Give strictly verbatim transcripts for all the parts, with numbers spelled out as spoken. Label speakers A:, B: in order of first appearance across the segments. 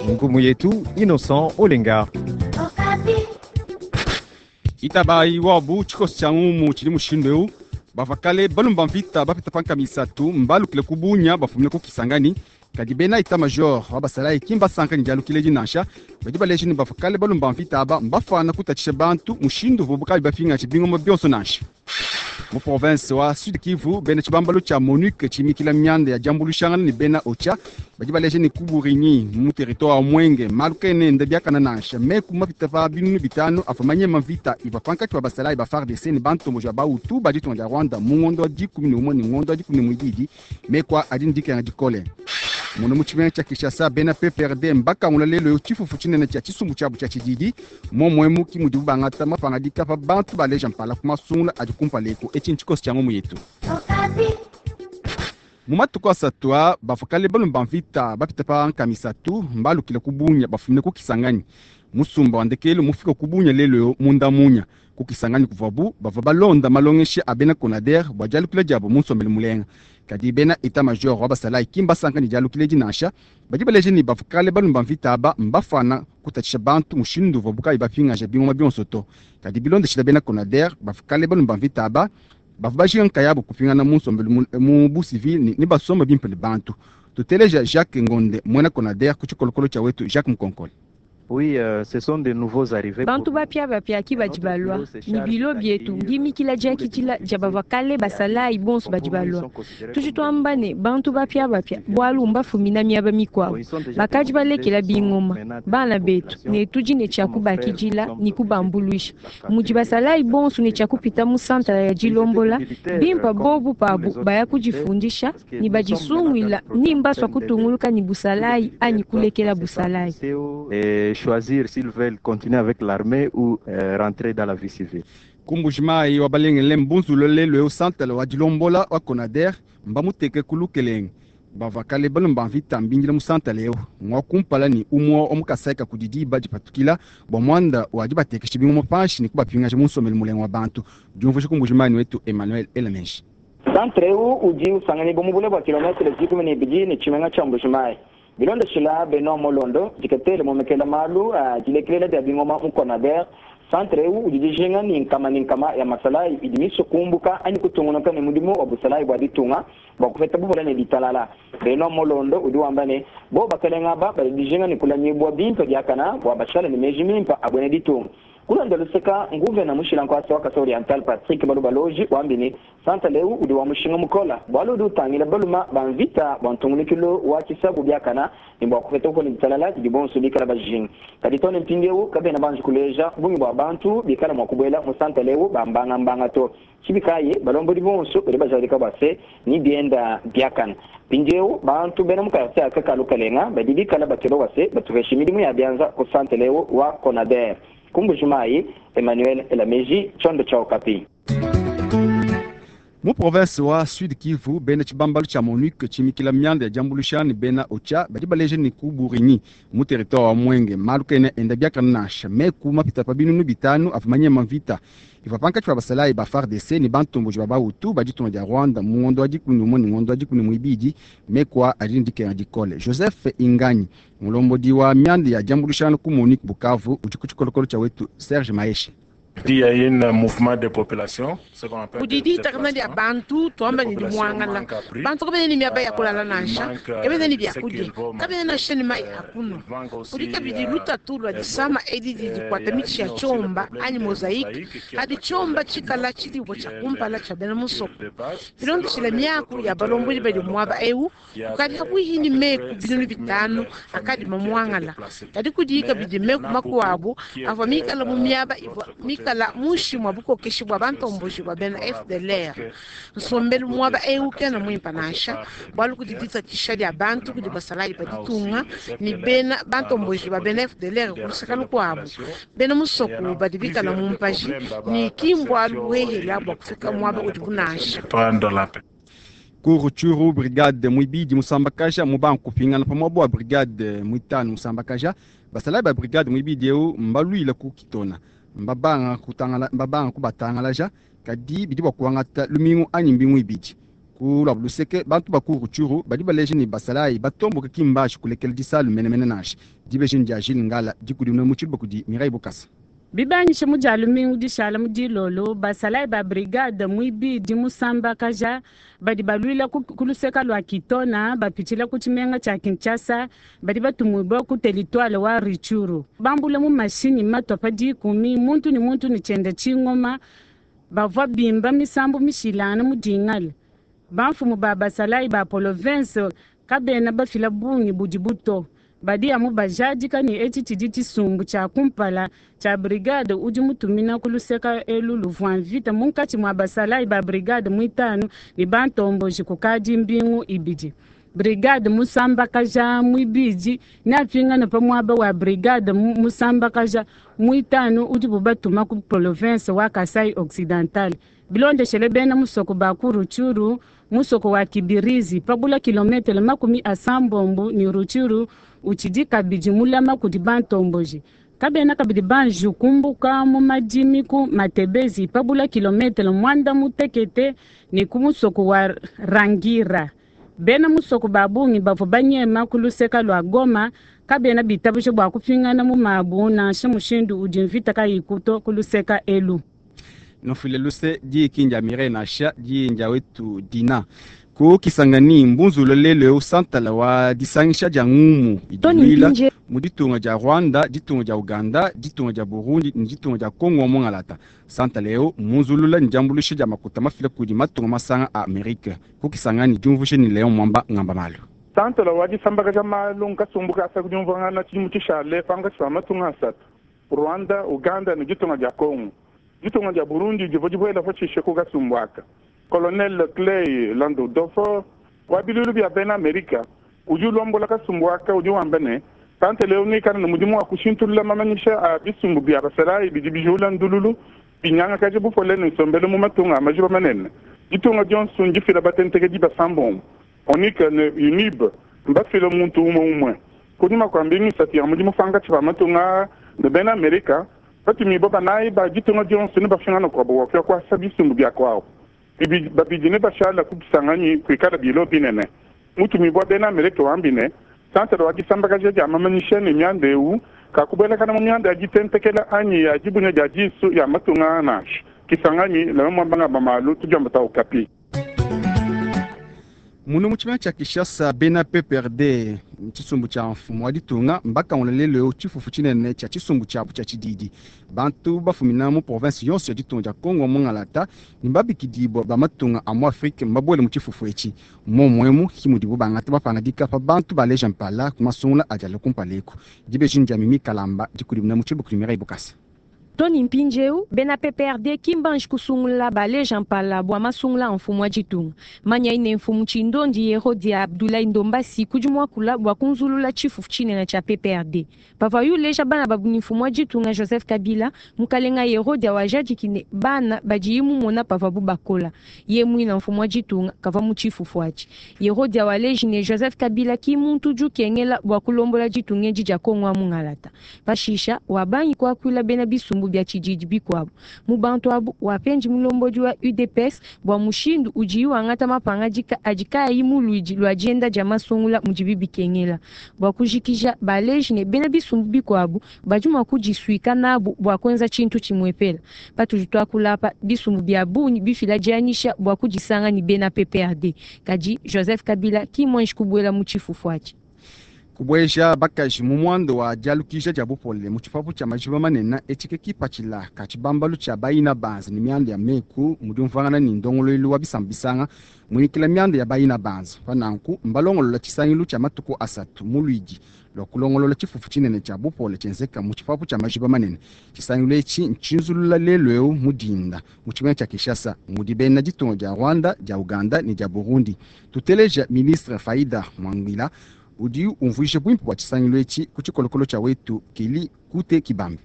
A: Ngumu yetu Innocent Olenga.
B: Itabayi wabu tshikoso tshia ngumu tshidi mushindu eu. Bavua kale balumba mvita bapita pa nkama isatu mbalukile ku Bunia bafumine ku Kisangani. Kadi bena état major wa basalayi ki mbasanka ne dialukila edi nansha. Badi baleja ne bavua kale balumba mvita aba mbafana kutatshisha bantu mushindu uvuabu kabayi bapingaje bingoma bionso nansha. Mu province wa Sud Kivu, bena tshibambalu tshia MONUC tshimikila mianda ya diambuluishangana ne bena OCHA badi baleja ne ku Burigny mu territoire wa Mwenge malu kena enda biakana nansha. Meku mapita pa binunu bitanu avua manyema mvita ivua pankatshi pa basalayi ba F A R D C ne bantomboji ba Bahutu ba ditunga dia Rwanda mu ngondo wa dikumi ne umue ne ngondo wa dikumi ne muibidi. Meku adi ne dikenga dikole. Munu mu tshimenga tshia Kinshasa, bena P P R D mbakangula lelo yo tshifufu tshinene tshia tshisumbu tshiabu tshia tshididi. Momwemu ki mudibu bangata mapangadika pa bantu baleja mpala ku masungula adi kumpala eku. Etshi ntshikoso tshia ngumu yetu. Mu matuku asatu a bavua kale balumba mvita bapita pa nkama isatu mbalukile ku Bunia bafumine ku Kisangani. Musumba wa ndekelu mufike ku Bunia lelo yo munda munya. Ku Kisangani kuvuabu bavua balonda malongesha a bena Konader bua dialukila diabu mu nsombelu mulenga. Kadi bena état major wa basalayi ki mbasanka ne dialukila edi nansha. Badi baleja ne bavua kale balumba mvita aba mbafana kutatshisha bantu mushindu uvuabu kabayi bapingaja bingoma bionso to. Kadi bilondeshila bena Konader bavua kale balumba mvita aba bavua bajinga nkayabu kupingana mu nsombelu mu, mu bu civil ne, ne basomba bimpe ne bantu. Tuteleja Jacques Ngonde muena Konader ku tshikolokolo tshia wetu Jacques Mukonkole.
C: Oui, euh, ce sont des nouveaux arrivés.
D: Bantu bapia bapia ki badi balwa ni bilo bietu ngimikila diakidila dia bavua kale basalayi bonso badi balwa. Tudi tuamba ne bantu bapia bapia bualu mbafumina miaba mikuabu bakadi balekela bingoma bana betu ne tudi ne tshia kubakidila ni kubambuluisha mudi basalayi bonso ne tshia kupita mu santala ya dilombola bimpa bobu pabu baya kudifundisha ni badisunguila ni mbaswa kutunguluka ni busalayi anyi kulekela busalayi.
C: Et choisir s'ils veulent continuer avec l'armée ou, euh, rentrer dans la vie civile.
B: Ku Mbujimayi wa balengele mbunzulo lelo eu santala wa dilombola wa Konader mbamuteke ku lukelenge. Bavua kale balomba mvita mbingila mu santala eu ngwa kumpala ni umwe wa mukasaika kudi diba dipatukila bua muanda wa dibatekesha bingoma panshi ne kubapingaja mu nsombelu mulenga wa bantu. Diumvuija ku Mbujimayi wetu Emmanuel Elamenji.
E: Centre eu udi usanganyibwa mu bule bua kilometre dikumi ne ibidi ne tshimenga tshia Mbujimayi. Bilondeshila Benoit Molondo, diketele momekela malu a dilekelela dia bingoma mu Konader. Centre eu udi dijinga ni nkama ni nkama ya masalayi idi miso kumbuka anyi kutungunuka ne mudimu wa busalayi bua ditunga bua kupeta buvula ne ditalala. Benoit Molondo udi wamba ne bo bakalenga ba badi dijinga ne kulamibua bimpe biakana bua bashala ne meji mimpe abwene ditunga. Kulonda luseka nguvena mushila nkwasa wa Kasai Oriental Patrick Balubaloji wambi ne Centre leu udi wa mushinga mukola bualu udi utangila baluma ba mvita bua ntungulukilu wa tshisabu biakana ne bua kupeta bukole ditalala didi bonso bikala bajinga. Kadi tone mpindieu kabena banji kuleja bungi bua bantu bikala mua kubuela mu Centre leu ba mbangambanga to. Tshibikaye balombodi bonso badi bajadika bua se ni bienda biakana. Mpindieu bantu bena mu quartier aka ka Lukalenga badi bikala bakeba bua se batupeshe midimu ya bianza ku Centre leu wa Konader. Ku Mbujimayi, Emmanuel Elameji, Tchondo tshia Okapi.
B: Mu province wa Sud Kivu, bena tshibambalu tshia MONUC tshimikila mianda ya diambuluisha ne bena OCHA badi baleja ne ku Burigny mu territoire wa Mwenge malu kena enda biakana nansha. Meku mapita pa binunu bitanu avua manyema mvita ivua pankatshi pa basalayi ba F A R D C ne bantomboji ba Bahutu ba ditunga dia Rwanda mu ngondo wa dikumi ne umue ne ngondo wa dikumi ne muibidi. Meku a adi ne dikenga dikole. Joseph Inganyi mulombodi wa mianda ya diambuluisha ku MONUC Bukavu udi ku tshikolokolo tshia wetu Serge Maeshe.
F: Il y a un mouvement de population, ce qu'on appelle
G: Kudi
F: des
G: ditakana dia
F: déplacements.
G: bantu, tuamba ni
F: Les populations
G: muangala.
F: manquent à prix.
G: Bantu kabene ni miaba ya kulala
F: Euh,
G: nansha.
F: manquent, euh,
G: Kabene ni bia
F: ce
G: kudi.
F: qu'ils vont
G: Kabene na sheni mai
F: manger.
G: hakuno.
F: Euh, manquent aussi,
G: Kudi kabidi
F: euh,
G: lutatu lwa
F: euh,
G: disama edi di
F: euh,
G: dikwata
F: il y a
G: michi ya
F: aussi le
G: chomba,
F: problème
G: anyi
F: des
G: mosaïque.
F: mosaïques qui
G: Hadi
F: attaquent
G: chomba
F: les
G: chikala
F: qui
G: chidi wa
F: est
G: chakumpala
F: le
G: cha bena musoko.
F: qui est de base.
G: Bilondo
F: Selon
G: chila
F: les
G: miaku ya
F: autorités
G: balombodi badi
F: locales,
G: mwaba eu,
F: il y avait
G: kukadi hakuhini
F: à peu
G: meku
F: près
G: binunu
F: cinq mille
G: bitanu, akadi
F: familles qui étaient
G: mamuangala.
F: déplacées.
G: Kadi kudi
F: Mais
G: kabidi
F: il y
G: meku
F: en a beaucoup
G: makuabu,
F: qui
G: avua
F: étaient,
G: mikala mu
F: euh,
G: miaba
F: de
G: ivua
F: l'autre côté.
G: mikala mushi mwa bukokeshi bua bantomboji bua bena F D L R. Nsombelu mwaba eu kena muimpa nansha, bualu kudi ditatshisha dia bantu kudi basalayi ba ditunga, ni bena bantomboji ba bena F D L R kulusaka lukuabu. Bena musoko badi bikala mu mpaji, ni kimbwa luhehela bua kufika mwaba udi bunansha.
F: Prendre la paix.
B: Ku Rutshuru brigade muibidi musambakaja mu banku pingana pamwe bua brigade muitanu musambakaja basalayi ba brigade muibidi eu mbaluila ku kitona mbabanga kutangala mbabanga kubatangalaja kadi bidi bua kuangata lumingu anyi mbingu ibidi. Ku luabu luseke, bantu ba ku Rutshuru badi baleja ne basalayi batomboke ki mbashi kulekela disalu menemene nansha. Dibeji dia Jules Ngala dikudimuna mu tshiluba kudi Mireille Bukasa.
H: Bibanyishe mu dia lumingu dishala mu dilolo, basalayi ba brigade muibidi musambakaja badi baluila ku luseka lua Kitona bapitshila ku tshimenga tshia Kinshasa badi batumibue ku territoire wa Rutshuru. Bambula mu mashinyi matua pa dikumi, muntu ne muntu ne tshienda tshingoma, bavua bimba misambu mishilangane mu dingala. Bamfumu ba basalayi ba province kabena bafila bungi budi buto. Badi amu bajadika ne etshi tshidi tshisumbu tshia kumpala tshia brigade udi mutumina ku luseka elu luvua mvita munkatshi mua basalayi ba brigade muitanu ne bantomboji kukadi mbingu ibidi. Brigade musambakaja muibidi neapingane pa muaba wa brigade musambakaja muitanu udibu batuma ku province wa Kasai Occidental. Bilondeshele bena musoko ba ku Rutshuru, musoko wa Kibirizi pabula kilometre makumi asambombo ne Rutshuru utshidi kabidi mulama kudi bantomboji. Kabena kabidi banji kumbuka mu madimi ku Matebezi pabula kilometre mwanda mutekete ne ku musoko wa Rangira. Bena musoko ba bungi bavua banyema ku luseka lua Goma kabena bitabuje bua kupingana mu mabu nansha mushindu udi mvita kayikuto ku luseka elu.
B: Nofile luse diikinja Mireille nansha diinja wetu Dina. Ku Kisangani mbunzula lelo santala wa disangisha dia ngumu idilwila mu ditunga dia Rwanda, ditunga dia Uganda, ditunga dia Burundi ne ditunga dia Congo mongalata. Santala eo munzulula ne diambuluisha dia makuta mafila kudi matunga masanga a Amerika. Ku Kisangani diumvushe ni Leon Mwamba ngamba malu.
I: Santala wa disambakaja malu nkasumbuka asa kudiumvangana tshidimu tshishale pankatshi pa matunga asatu. Rwanda, Uganda ne ditunga dia Congo. Ditunga dia Burundi divua dibuela pashishe ku kasumbu aka. Colonel Clay Landudofo wa bilulu bia bena Amerika udi ulombola kasumbu aka udi wamba ne santala eu neikale ne mudimu wa kushintulula mamanyisha a bisumbu bia basalayi bidi bijula ndululu binyangakaja bupole ne nsombelu mu matunga a majiba manene. Ditunga dionso ndifila batentekedi basambombo ONUC ne UNIB mbafile muntu umwe umwe. Kunyima kua mbingu isatu ya mudimu pankatshi pa matunga ne bena Amerika batumibue banayi ba ditunga dionso ne bafingana kuabo bua kuya kuasa bisumbu bia kuabo. Babidi ne bashala ku Kisangani kuikala bilo binene. Mutumibue bena Amerika wambi ne santala wa disambakaja dia mamanyisha ne mianda eu kakubuelakana mu mianda ya ditentekela anyi ya dibunya dia disu ya matunga nansha. Kisangani Leon Mwamba ngamba malu tudiomba ta Okapi.
B: Munu mu tshimenga tshia Kinshasa bena P P R D tshisumbu tshia mfumu wa ditunga mbakangula lelo tshifufu tshinene tshia tshisumbu tshiabu tshia tshididi. Bantu bafumina mu province yonso ya ditunga dia Congo mongalata ne mbabikidibua ba matunga a mu Afrique mbabuele mu tshifufu etshi. Momwemu ki mudibu bangata bapangadika pa bantu baleja mpala ku masungula adi alua kumpala eku. Dibeji ndia Mimi Kalamba dikudimuna mu tshiluba kudi Mireille Bukasa.
D: Tony Mpinjeu, bena P P R D kimbanji kusungula baleja mpala bua masungula mfumu wa ditunga. Manya ine mfumu tshindondi Yerodia Abdoulaye Ndombasi kudi muakula bua kunzulula tshifufu tshinene tshia P P R D. Pavua yuleja bana babu ni mfumu wa ditunga Joseph Kabila, mukalenga Yerodia wajadiki bana badi mumona pavabu bakola. Ye mwina mfumu wa ditunga kava mu tshifufu atshi. Yerodia waleji ne Joseph Kabila ki muntu jukengela bua kulombola ditunga edi dia Kongo wa mungalata. Pashisha wabangi kuakula bena bisumbu bya tshididi bikuabu. Mu bantu abu wapenji mulombodi wa U D P S bua mushindu udi wangata mapangadika adi kayi mu luidi lua dienda dia masungula mudibi bikengela. Bua kujikija baleji ne bena bisumbu bikuabu badi mua kudisuika nabu bua kuenza tshintu tshimuepela. Patudi tuakula apa bisumbu bia bungi bifila dianyisha bua kudisanga ne bena P P R D. Kadi Joseph Kabila ki mwanji kubuela mu tshifufu atshi.
B: Kubweja bakaji mu mwando wa dialukisha dia bupole mu tshipapu tshia majiba manene etshike kipatshila ka tshibambalu tshia bayina banza ne mianda ya meku mudi umvuangana ne ndongoluelu wa bisamba bisanga muikila mianda ya bayina banza. Pa nanku mbalongolola tshisangilu tshia matuku asatu mu luidi lua kulongolola tshifufu tshinene tshia bupole tshienzeka mu tshipapu tshia majiba manene. Tshisangilu etshi ntshinzulula lelu eu mu dinda mu tshimenga tshia Kinshasa mudi bena ditunga dia Rwanda, dia Uganda ne dia Burundi. Tuteleja ministre Faida Mwangwila udi umvuija bwimpe bua tshisangilu etshi ku tshikolokolo tshia wetu Keli Kute Kibambe.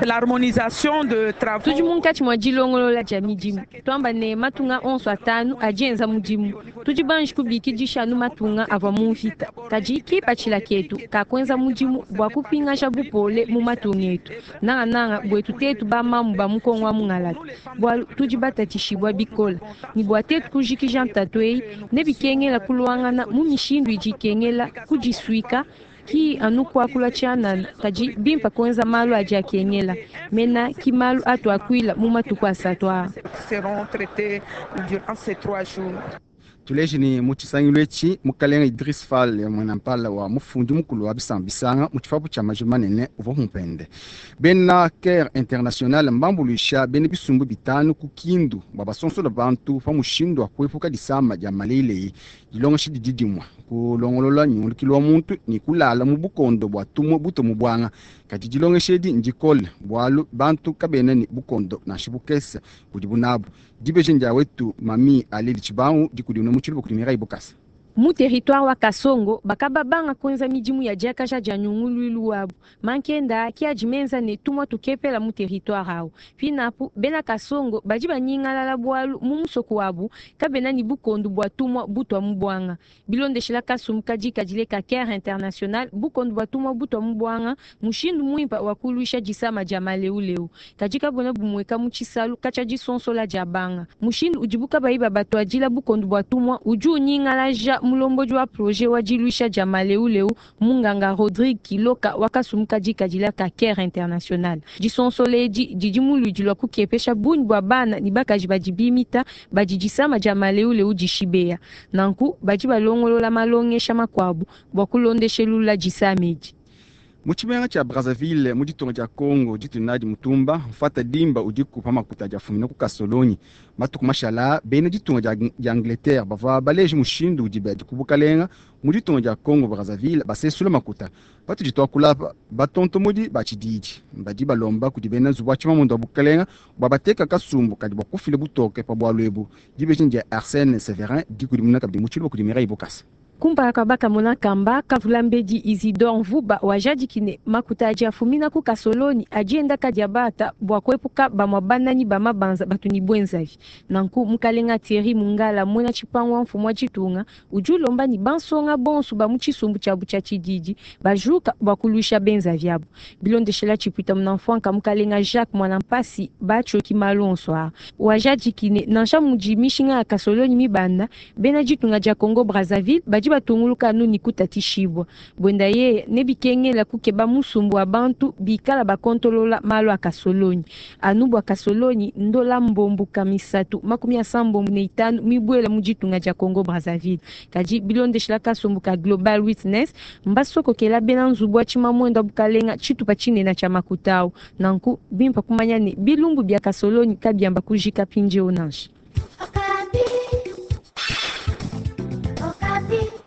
J: L'harmonisation de travaux.
D: Tudi munkatshi mua dilongolola dia midimu twamba ne matunga onso atanu adi enza mudimu tudi banji kubikidisha anu matunga avua mu mvita kadi kipatshila ketu kakuenza mudimu bua kupingaja bupole mu matunga etu nangananga buetu tetu bamamu ba mukongo wa mungalata bualu tudi batatshishibua bikola ne bua tetu kujikija ntatu eyi nebikengela kuluangana mu mishindu idi ikengela kudisuika ki anu kuakula tshianana kadi bimpa kuenza malu adi akengela mena ki malu atu akuila mu matuku asatu aa
J: seront traités durant ces trois jours.
B: Tuleje ne mu tshisangilu etshi mukalenga Idriss Fall mwenampala wa mufundi mukulu wa bisamba bisanga mu tshipapu tshia majima manene uvua mupende. Bena Care International mbambuluisha bena bisumbu bitanu ku Kindu bua basonsola bantu pa mushindu wa kuepuka disama dia malelei dilongesha didi dimue kulongolola nyungulukilu wa muntu ne kulala mu bukondo bua tumue buto mu buanga kadi dilongesha edi ndikole bualu bantu kabena ne bukondo nansha bukese budibu nabu dibeji ndia wetu mami aleli tshibangu dikudimuna mu tshiluba kudi Mireille Bokasa.
D: Mu territoire wa Kasongo bakababanga kuenza midimu ya diakaja dia nyunguluilu wabu mankenda ki adi menza ne tumwa tukepela mu territoire awu pinapu bena Kasongo badi banyingalala bualu mu musoko wabu kabena ni bukondo bua tumwa butwa mu bwanga bilondeshela kasumbu kadi kadile ka Care International bukondo bua tumwa butwa mu bwanga mushindu muimpa wa kuluisha disama dia maleuleu kadi kabona bumueka mu tshisalu katshia disonsola dia banga mushindu udibu kabayi babatuadila bukondo bua tumwa udi unyingalaja mulombodi wa projet wa diluisha dia maleuleu munganga Rodrigue Kiloka wakasumuka dikadila ka Care International disonsola edi didi muludi lua kukepesha bungi bua bana ne bakaji badi bimita badi disama dia maleuleu dishibeya nanku badi balongolola malongesha makuabu bua kulondeshelula disama edi.
B: Mu tshimenga tshia Brazzaville mu ditunga dia Congo ditunadi mutumba mfata dimba udiku pa makuta dia fumina ku Kasolonyi matuku mashala bena ditunga dia, dia Angleterre bavua baleje mushindu udi badi ku bukalenga mu ditunga dia Congo Brazzaville basesula makuta patudi tuakula batontomodi ba tshididi badi balomba kudi bena nzubu wa tshimamundo wa bukalenga bua bateka kasumbu kadi bua kufila butoke pa bualu ebu dibeji dia Arsène Severin dikudimuna kabidi mu tshiluba kudi Mireille Bokasa.
D: Kumpala kua bakamona kamba kavula mbedi Isidore Mvuba wajadikine makuta adi afumina ku Kasoloni adi enda kadi abata bua kuepuka bamua banani ba mabanza batu ni bwenzavi nanku mukalenga Thierry Mungala mwena tshipangu wa mfumu wa tshitunga udi ulomba ni bansonga bonso ba mu tshisumbu tshiabu tshia tshididi bajuka bua kuluisha benzavi abu bilondeshela tshipwita munamfuanka mukalenga Jacques Mwanampasi batshioki malu onso aa wajadikine nansha mudi mishinga ya Kasoloni mibanda bena ditunga dia Congo Brazzaville badi batunguluka anu ni kutatishibwa bwenda yeye nebikengela kukeba musumbu wa bantu bikala bakontolola malu a Kasolonyi anu bua Kasolonyi ndola mbombu kamisatu makumi asambombu ne itanu mibwela mu ditunga dia Congo Brazzaville kadi bilondeshela kasumbu ka Global Witness mbasokokela bena nzubu wa tshimamwendo wa bukalenga tshitupa tshinene tshia makutau nanku bimpa kumanya ne bilumbu bia Kasolonyi kabiamba kujika pindieu nansha.
K: Okapi. Okapi.